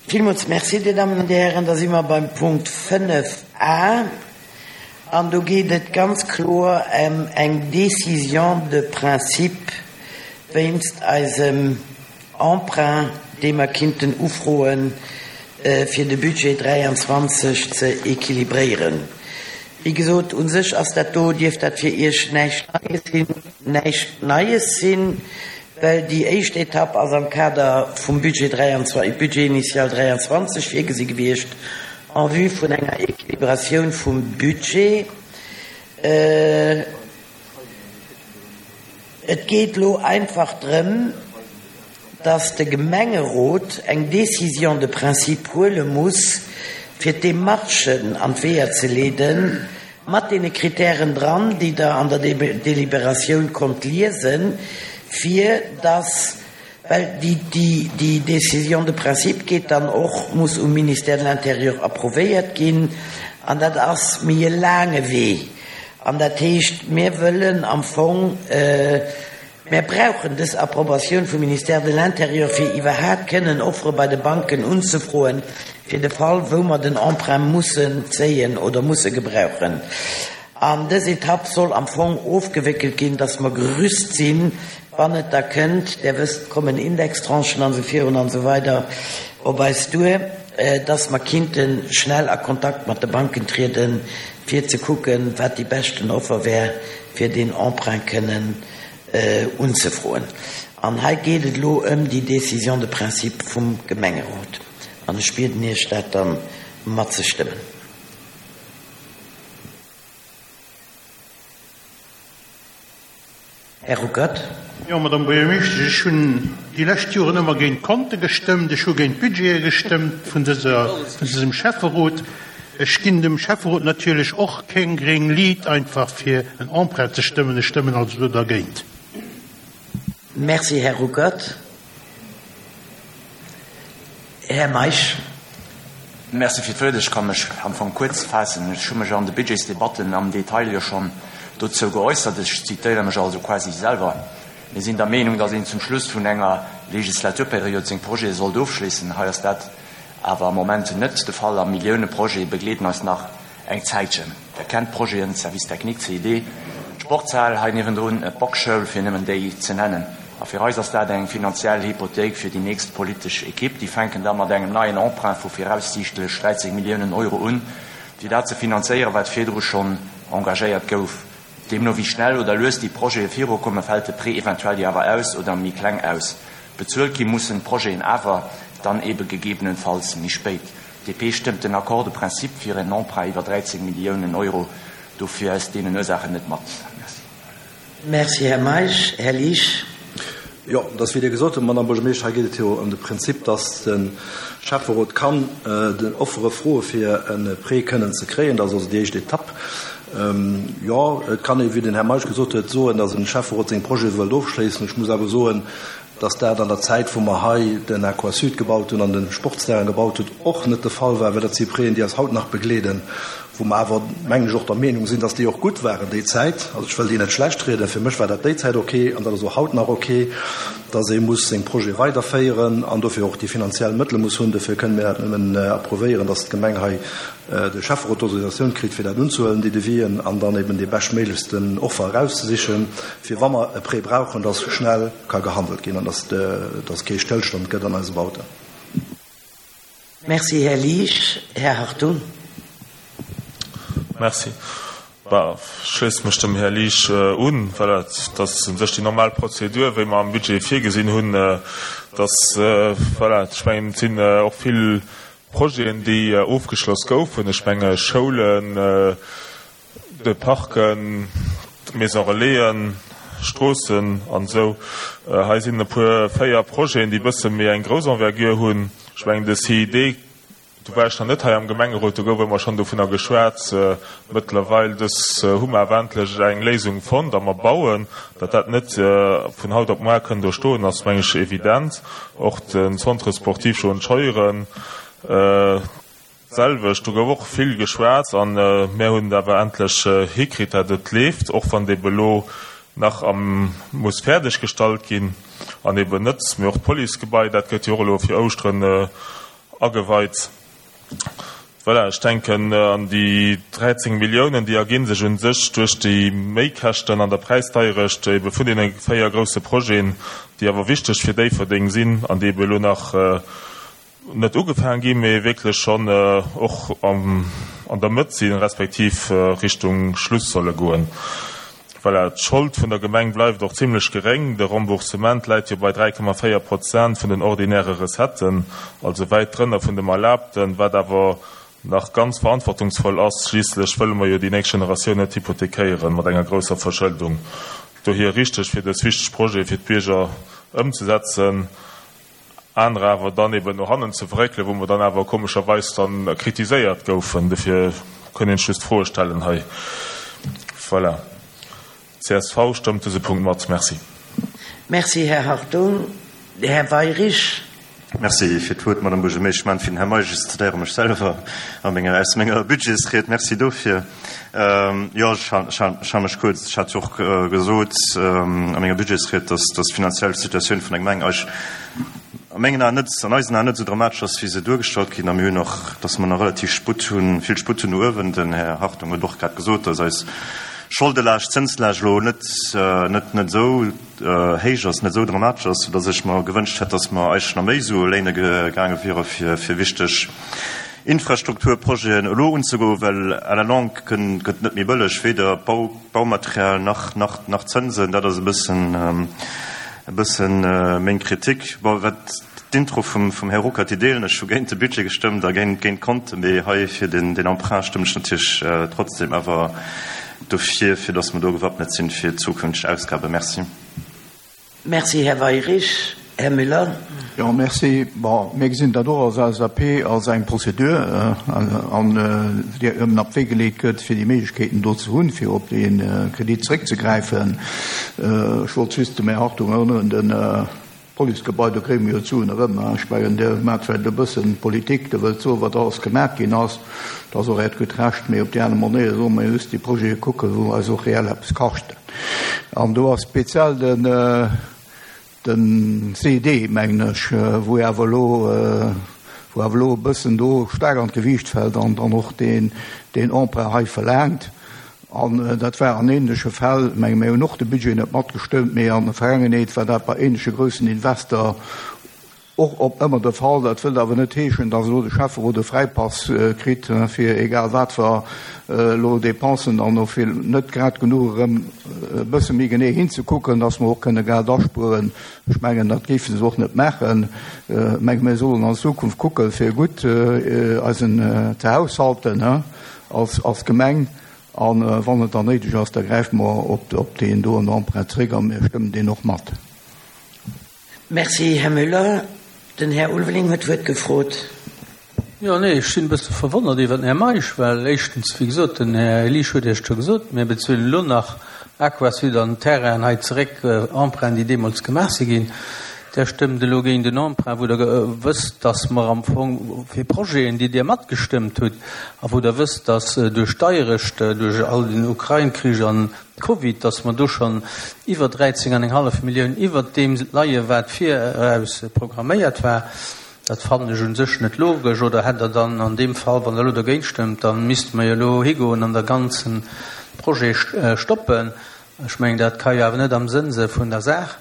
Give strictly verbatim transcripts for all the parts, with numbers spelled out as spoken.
Villmools Merci, Dir Dammen an Dir Hären. Da si mer beim Punkt fënnef a an do geet et ganz kloer ëm eng Décision de principe wéinst eisem Emprunt, dee mer kinnten ufroen, fir de Budget dräianzwanzeg ze équilibréieren. Wéi gesot, u sech ass dat do, dierft dat fir Iech näischt Neies sinn, näischt Neies sinn, well déi éischt Etapp ass am Kader vum Budget dräianzwanzeg, Budget initial dräianzwanzeg virgesi gewiescht, en vue vun enger Équilibratioun vum Budget. Et geet elo einfach drëm, dass de Gemengerot eng Décision de principe huele muss, fir d'Demarchen an d'Weeër ze leeden, mat deene Kritären dran, déi Der an der Deliberatioun konnt liesen, fir dass, well déi, déi, déi Décision de principe geet dann och, muss um Ministère de l'Intérieur approuvéiert ginn, an dat ass méi e laange Wee. An dat heescht, mir wëllen am Fong, mir brauchen dës Approbatioun vum Ministère de l'Intérieur, fir iwwerhaapt kënnen Offere bei de Banken unzefroen, fir de Fall, wou mer den Emprunt mussen zéien oder musse gebrauchen. An dës Etapp soll am Fong ofgewéckelt ginn, dass mer gerüst sinn, wann et da kënnt, Der wësst, kommen Indextranchen an esou virun an esou weider op eis duer, dass mer kinnte schnell a Kontakt mat de Banken trieden, fir ze kucken, wat déi beschten Offer wär, fir deen Emprunt kënnen unzefroen. An hei geet et elo ëm déi Décision de principe vum Gemengerot. An ech bieden Iech, dat da matzestëmmen. Här Ruckert. Jo, Madame Buergermeeschtesch, ech hunn déi lescht Joren ëmmer géint d'Konte gestëmmt, ech hu géint d'Budgete gestëmmt vun dëser, vun dësem Schäfferot. Ech ginn dem Schäfferot natierlech och keng gréng Liit einfach fir en Emprunt ze stëmmen. Ech stëmmen also do dergéint. Merci, Här Ruckert. Här Meisch. Merci fir d'Wuert. Ech ka mech am Fong kuerz faassen. Ech hu mech an de Budgetsdebatten am Detail jo schonn dozou geäussert. Ech zitéiere mech also quasi selwer. Mir sinn der Meenung, datt een zum Schluss vun enger Legislaturperiod seng Projete sollt ofschléissen. Hei ass dat awer am Moment net de Fall a Millioune Projete begleeden eis nach eng Zäitchen. Der kennt d'Projeten, Service technique, C I D, d'Sportshal hei niewendrun, d'Boxschoul, fir nëmmen déi ze nennen. A fir eis ass dat eng finanziell Hypothéik fir déi nächst politesch Ekipp. Déi fänken da mat engem neien Emprunt vu viraussiichtlech dräizéng Milliounen Euro un, fir dat ze finanzéieren, wat virdru schonn engagéiert gouf. Deemno wéi schnell oder lues déi Projete virukommen, fält de Prêt eventuell jo awer aus oder méi kleng aus. Bezuelt gi mussen d'Projeten awer dann ebe gegebenenfalls méi spéit. D P stëmmt den Accord de principe fir en Emprunt iwwer dräizéng Milliounen Euro dofir aus deenen Ursaachen net mat. Merci. Merci, Här Meisch. Här Liesch. Jo, dat ass wéi Dir gesot hutt, Madame Buergermeeschter, hei geet et jo ëm de Prinzip, dass de Schäfferot kann den Offere froe fir e Prêt kënnen ze kréien. Dat ass also déi éischt Etapp. Jo, et kann ee, wéi den Här Meisch gesot huet, soen, dass e Schäfferot seng Projete wëllt ofschléissen. Ech muss awer soen, dass dat an der Zäit, wou mer hei den Aquasud gebaut hunn an de Sportsterrain gebaut hunn, och net de Fall war, well dat si Prêten, déi eis haut nach begleeden, wou mer awer, mengen ech, och der Meenung sinn, dass déi och gutt waren déi Zäit. Also ech wëll déi net schlecht rieden, fir mech war dat déi Zäit ok an dat ass och haut nach ok, dass ee muss seng Projete weiderféieren an dofir och déi finanziell Mëttele muss hunn. Dofir kënne mir dat nëmmen approuvéieren, dass d'Gemeng hei de Schäfferot d'Autorisatioun kritt, fir dat unzehuelen, déi Devisen, an dann eben déi beschtméiglechsten Offer erauszesichen, fir wa mer e Prêt brauchen, dass schnell ka gehandelt ginn an dass dass kee Stëllstand gëtt an eise Bauten. Merci, Här Liesch. Här Hartung. Merci. Bah, ech schléisse mech dem Här Liesch un. Voilà, dat ass u sech déi normal Prozedur, wéi mer am Budget virgesinn hunn, dass, voilà, ech mengen, et sinn och vill Projeten, déi ofgeschloss goufen. Ech menge Schoulen, de Parken, d'Maison Relaisen, Stroossen an esou. Hei sinn e puer, véier Projeten, déi e bësse méi eng grouss Envergure hunn. Ech mengen de C I D, do war ech nach net hei am Gemengerot, do gouf ëmmer schonn dovunner geschwat. Mëttlerweil dës hu mer awer endlech eng Léisung fonnt a mer bauen. Datt dat net vun haut op muar kënn do stoen, ass meng ech evident. Och den Centre sportif Joan Scheuren d'selwecht, do gouf och vill geschwat a mir hunn et awer endlech hikritt, datt et leeft, och wann dee elo nach am muss fäerdeg gestallt ginn an eben net. Mee och d'Policegebai, dat gëtt jo och elo fir Ouschteren ageweit. Voilà, ech denken an déi dräizéng Milliounen, déi erginn sech un sech duerch déi Méikäschten an der Präisdeierecht ebe vun deene véier grousse Projeten, déi awer wichteg fir Déifferdeng sinn an déi ebe elo nach net ugefaang ginn, mee wierklech schonn och an der Mëtt sinn, respektiv Richtung Schluss solle goen. Voilà, d'Schold vun der Gemeng bleift och zimlech geréng. De Remboursement läit jo bei dräi Komma véier Prozent vun den ordinäre Recetten, also wäit drënner vun dem Erlaabten, wat awer nach ganz verantwortungsvoll ass. Schliisslech wëlle mer jo déi nächst Generatioun net hypothekéieren mat enger grousser Verschëldung. Dohier richteg, fir dës wichteg Projete fir d'Bierger ëmzesetzen, anerer awer dann eben no hannen ze verréckelen, wou mer dann awer komescherweis dann kritiséiert goufen. Dofir kënn een just Froe stellen hei. Voilà. Csv stëmmt dëse Punkt mat. Merci. Merci, Här Hartung. Här Weyrich. Merci fir d'Wuert, Madame Buergermeesch. Ech maachen fir den Här Meisch, ech zitéiere mech selwer a menger, aus menger Budgetsried. Merci dofir. Jo, ech hale mech kuerz. Ech hat jo och gesot a menger Budgetsried, dass d'finanziell Situatioun vun der Gemeng eis a mengen Aen net, an eisen Aen net esou dramatesch ass, wéi se duergestallt ginn. A mir hunn och, dass mer nach relativ Sputt hunn, vill Sputt hunn no uewen. Den Här Hartung huet och grad gesot, dass eis Scholdelaascht, Zënslaascht elo net, net, net esou héich ass, net esou dramatesch ass, soudass ech mer gewënscht hätt, dass mer eigentlech nach méi Sue léine gaange wiere fir, fir wichteg Infrastrukturprojeten elo unzegoen, well à la longue gëtt, gëtt net méi bëlleg, weder Bau, Baumaterial nach, nach, nach Zënsen. Dat ass e bëssen, e bëssen meng Kritik. Bon, wat d'Intro vum, vum Här Ruckert, déi deelen ech, hu géint de Budget gestëmmt a géint, géint d'Konten, mee hei fir den, den Emprunt stëmmen ech natierlech trotzdem awer dofir, fir dass mer do gewappnet sinn fir zukünfteg Ausgaben. Merci. Merci, Här Weyrich. Här Müller. Jo, merci. Bon, mir gesinn dat och als L S A P als eng Prozedur, an déi ëmmen op d'Wee geleet gëtt, fir déi Méiglechkeeten do ze hunn, fir op dee Kredit zréckzegräifen. Ech wollt just dem Här Hartung erënneren, den Policegebai, do kréie mir jo d'Suen erëm. Ech mengen, Dir maacht vläicht e bëssen Politik, Dir wëllt soen, wat alles gemaach ginn ass. Dat ass och Äert gutt Recht, mee op déi aner Manéier solle mer just déi Projete kucken, wou eis och reell eppes kaschten. An do ass speziell den, den C D, mengen ech, wou awer elo, wou awer elo e bëssen do staark an d'Gewiicht fält an dann och deen, deen Emprunt hei verlaangt. An dat war an ähnleche Fäll, menge mir hunn och de Budget net matgestëmmt, mee an der Vergangenheet war dat bei ähnleche groussen Investor och op ëmmer de Fall. Dat wëllt awer net heeschen, dass elo de Schäfferot de Fräipass kritt, fir egal wat fir elo Dépensen dann och fir net grad genuch erëm e bësse méi genee hinzekucken, dass mer och kënne Geld aspueren. Ech mengen, dat géifen se och net maachen. Ech menge, mir sollen an Zukunft kucken, fir gutt eisen ze haushalten, he, als, als Gemeng. An wann et dann néideg ass, da gräife mer op, op deen do an Emprunt zréck a mir stëmmen deen och mat. Merci, Här Müller. Den Här Ulveling huet d'Wuert gefrot. Jo, nee, ech sinn e bësse verwonnert iwwer den Här Meisch, well éischtens, wéi gesot, den Här Elisch huet Iech scho gesot, mir bezuelen elo nach Aquasud an Terrain hei zeréck, Emprunt, déi deemools gemaach si ginn. Der stëmmt elo géint den Emprunt, wou der wësst, dass mer am Fong fir Projeten, déi Dir matgestëmmt hutt, a wou der wësst, dass duerch Deierecht, duerch all den Ukraine-Krich an Covid, dass mer do schon iwwer dräizéng an eng hallef Millioun iwwer dem leie, wat viraus programméiert war. Dat fannen ech un sech net logesch. Oder hätt der dann an dem Fall, wann der elo dergéint stëmmt, dann misste mer jo elo higoen an der ganzen Projet stoppen. Ech mengen, dat kann jo awer net am Sënn se vun der Saach.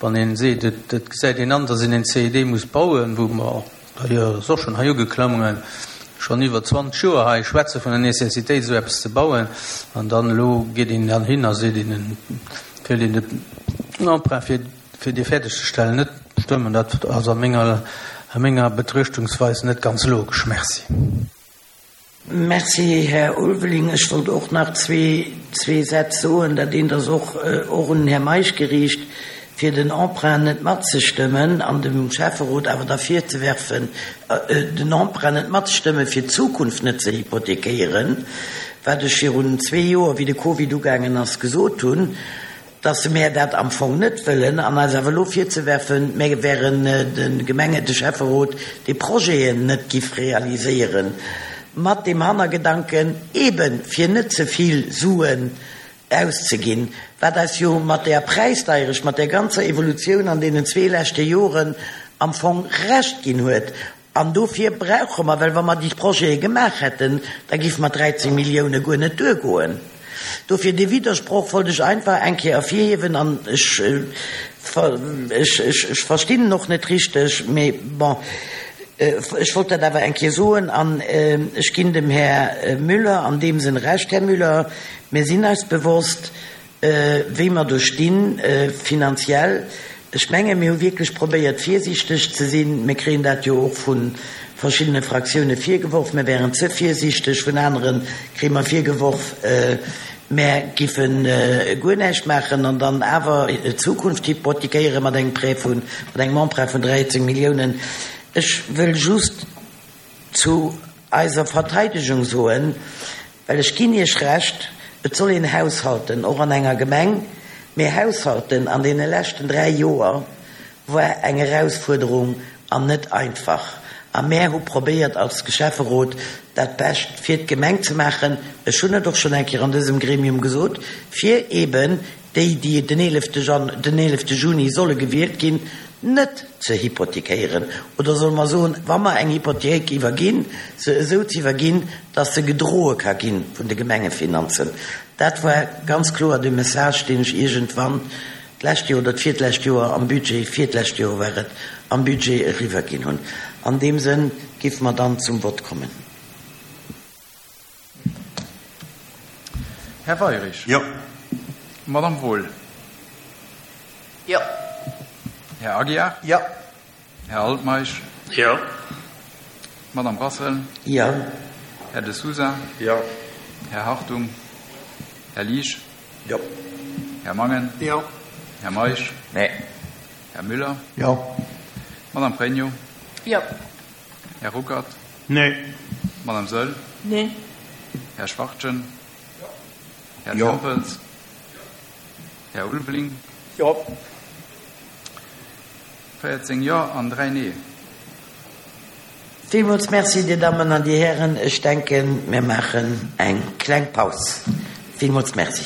Wann een seet, et, et gesäit een an, dass een en C I D muss bauen, wou mer d'ailleurs och schon hei ugeklommen, schon iwwer zwanzeg Joer hei schwätze vun der Necessitéit, so eppes ze bauen, an dann elo geet een dann hin a seet een, wëllt een den Emprunt fir, fir dee fäerdegzestellen net stëmmen. Dat ass a menger, a menger Betruechtungsweis net ganz logesch. Merci. Merci, Här Ulveling. Ech wollt och nach zwee, zwee Sätz soen, dat een das och, och un Herr Meisch gericht, fir den Emprunt net matzestëmmen an dem Schäfferot awer derfir ze werfen, den Emprunt net matzestëmmen, fir d'Zukunft net ze hypothekéieren, wat ech virun zwee Joer, wéi de Covid ugaangen ass, gesot hunn, dass se mir dat am Fong net wëllen, an eis awer elo virzewerfen, mir wären de Gemenge, de Schäfferot, déi Projeten net gif realiséieren. Mat dem Hannergedanken eben fir net ze vill Suen auszeginn, wat eis jo mat der Präisdeierecht, mat der ganzer Evolutioun an deenen zwee leschte Joren am Fong recht ginn huet. An dofir brauche mer, well wa mer déi Projete gemaach hätten, da géife mer dräizéng Millioune guer net duergoen. Dofir dee Widdersproch wollt ech einfach eng Kéier ervirhiewen an ech, ech, ech verstinn en och net richteg, mee bon, ech wollt dat awer eng Kéier soen. An ech ginn dem Här Müller an deem Sënn Recht. Här Müller, mir sinn eis bewosst, wéi mer do stinn finanziell. Ech menge mir hu wierklech probéiert virsiichteg ze sinn. Mir kréien dat jo och vu verschiddene Fraktioune virgeworf, mir wären ze virsiichteg. Vun anere kréie mer virgeworf, mär giffe guer näischt maachen an dann awer d'Zukunft hypothekéiere mat engem Prêt vun, mat engem Emprunt vun dräizéng Milliounen. Ech wëll just zu eiser Verteidegung soen, well ech ginn Iech Recht, et soll een haushalten, och an enger Gemeng, mee haushalten an deene leschten dräi Joer war eng Erausfuerderung an net einfach. A mär hu probéiert als Schäfferot dat Bescht fir d'Gemeng ze maachen, ech hunn et och schonn eng Kéier an dësem Gremium gesot, fir eeben déi, déi den eelefte Jan-, den eelefte Juni solle gewielt ginn, net ze hypothekéieren, oder solle mer soen, wa mer eng Hypothéik iwwerginn, se esou ze iwwerginn, dass se gedroe ka gi vun de Gemengefinanzen. Dat war ganz kloer de Message, deen ech iergendwann d'lescht Joer oder d'virtlescht Joer am Budget, virtlescht Joer war et, am Budget eriwwerginn hunn. An deem Sënn géife mer dann zum Vott kommen. Här Weirich. Jo. Madame Wohl. Jo. Här Aguiar. Jo. Här Altmeisch. Jo. Madame Rassel. Jo. Här De Sousa. Jo. Här Hartung. Här Liesch. Jo. Här Mangen. Jo. Här Meisch. Nee. Här Müller. Jo. Madame Pregno. Jo. Här Ruckert. Nee. Madame Saeul. Nee. Här Schwachtgen. Jo. Här Jo. Tempels. Här Ulveling. Jo. véierzéng Jo an dräi Nee. Villmools Merci, Dir Dammen an Dir Hären. Ech denken, mir maachen eng kleng Paus. Villmools Merci.